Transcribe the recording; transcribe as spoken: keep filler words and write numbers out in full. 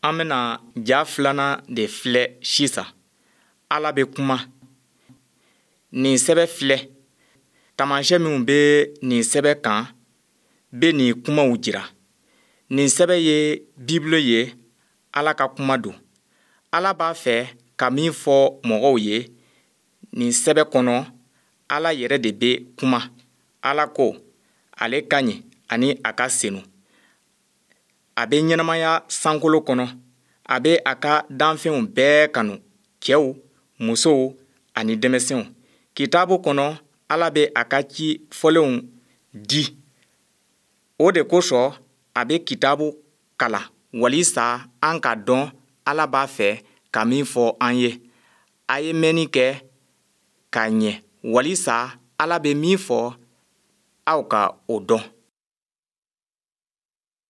An bɛna ja filanan de filɛ sisan. Ala bɛ kuma. Nin sɛbɛ filɛ. Taamashyɛn minw bɛ nin sɛbɛ kan bɛ nin kumaw jira. Nin sɛbɛ ye Bibulu ye, Ala ka kuma don. Ala b'a fɛ ka min fɔ mɔgɔw ye nin sɛbɛ kɔnɔ, Ala yɛrɛ de bɛ kuma. Ala ko ale ka ɲi ani a ka senu. A bɛ ɲɛnamaya sankolo kɔnɔ. A bɛ a ka danfɛnw bɛɛ kanu, cɛw, musow ani denmisɛnw. Kitabu kɔnɔ, Ala bɛ a ka ci fɔlenw di. O de kosɔn a bɛ kitabu kalan walisa an ka dɔn Ala b'a fɛ ka min fɔ an ye. A ye mɛnni kɛ ka ɲɛ walisa Ala bɛ min fɔ aw ka o dɔn.